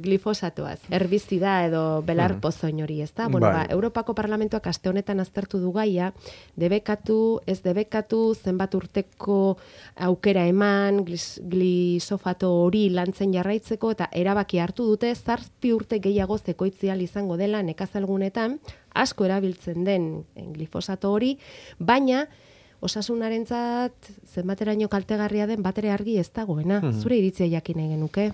glifosatoaz, herbizida edo belar pozoin hori, ezta? Bueno, Europako Parlamentuak aste honetan aztertu du gaia, debekatu, ez debekatu, zenbat urteko aukera eman, glisofato hori lantzen jarraitzeko, eta erabaki hartu dute, 7 urte gehiago zekoitzial izango dela nekazalgunetan, asko erabiltzen den glifosato hori, baina osasunarentzat zenbateraino kaltegarria den batere argi ez dagoena. Zure iritzia jakin nahi genuke?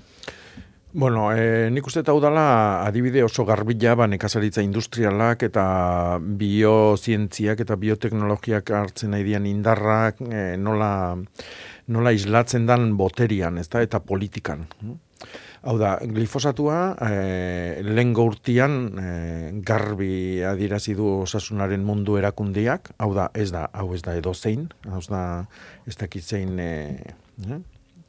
Bueno, nik uste hau dela adibide oso garbila nekazaritza industrialak eta biozientziak eta bioteknologiak hartzen nahi dian indarrak nola islatzen dan boterian, ezta, eta politikan. Hau da, glifosatua lehen urtean garbi adierazi du osasunaren mundu erakundiak, hau ez da edozein, ez dakit zein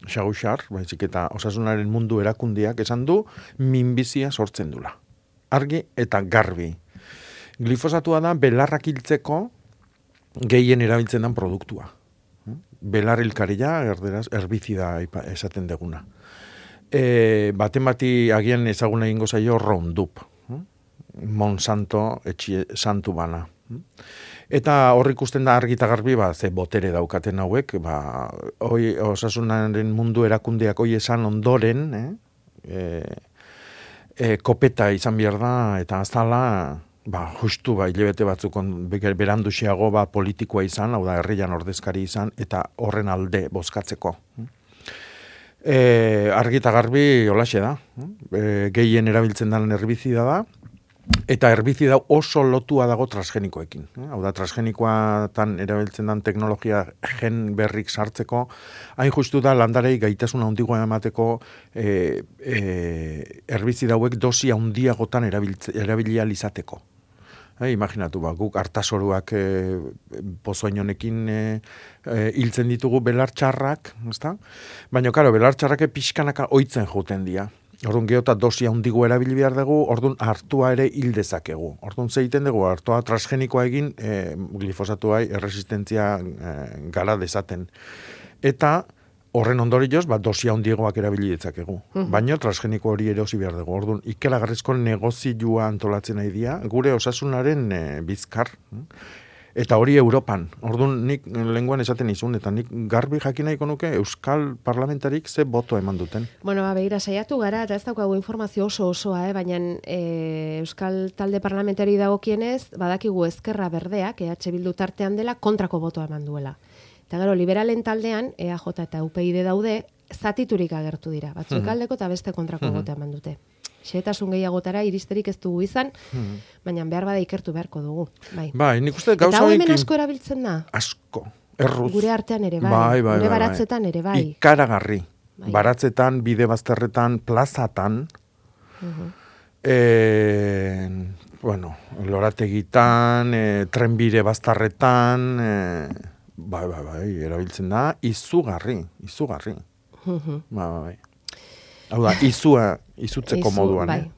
xaguxar, baizik eta osasunaren mundu erakundiak esan du minbizia sortzen dula. Argi eta garbi. Glifosatua da belarrak hiltzeko gehien erabiltzen den produktua. Belar hilkaria, erderaz, herbizida esaten deguna. Baten bati agian ezaguna egingo zaio Roundup. Monsanto etxie santu bana. Eta hor ikusten da argi eta garbi ze botere daukaten hauek, osasunaren mundu erakundeak hoi esan ondoren, kopeta izan behar da, eta azala, justu hilabete batzuk beranduxiago politikoa izan, hau da herrian ordezkari izan, eta horren alde bozkatzeko. Argi eta garbi holaxe da, gehien erabiltzen den herbizida da, eta herbizida oso lotua dago transgenikoekin. Hau da, transgenikoatan erabiltzen den teknologia gen berrik sartzeko, hain justu da landarei gaitasun handigoa emateko herbizida hauek dosi handiagotan erabilia izateko. Imaginatu, guk hartasoruak pozoin honekin hiltzen ditugu belartxarrak, ezta? Baina, karo, belartxarrak pixkanaka oitzen joten dira. Orduan geota dosia handigo erabili behar dugu, orduan hartua ere hil dezakegu. Orduan zeiten dugu, hartua transgenikoa egin, glifosatuai erresistentzia gara dezaten. Eta horren ondorioz, dosia handiagoak erabili dezakegu. Baina transgeniko hori erosi behar dugu. Orduan ikelagarrizko negozioa antolatzen nahi dira, gure osasunaren bizkar. Eta hori Europan. Orduan nik lenguan esaten izun, eta nik garbi jakin nahiko nuke Euskal Parlamentarik ze boto eman duten. Bueno, begira, saiatu gara, eta ez daukagu informazio osoa, baina Euskal Talde Parlamentari dagokienez, badakigu Ezkerra Berdeak, EH Bildu tartean dela, kontrako botoa eman duela. Eta gero, liberalen taldean, EAJ eta UPyD daude, zatiturik agertu dira. Batzuk aldeko eta beste kontrako botoa eman dute. Xehetasun gehiagotara iristerik ez dugu izan, baina behar bada ikertu beharko dugu. Bai, nik uste gauza eta hau hemen asko erabiltzen da? Asko, erruz. Gure artean ere bai, gure baratzetan ere bai. Ikaragarri. Baratzetan, bide bazterretan, plazatan, lorategitan, trenbide bazterretan, erabiltzen da, izugarri. Bai. Hau da, izutzeko moduan.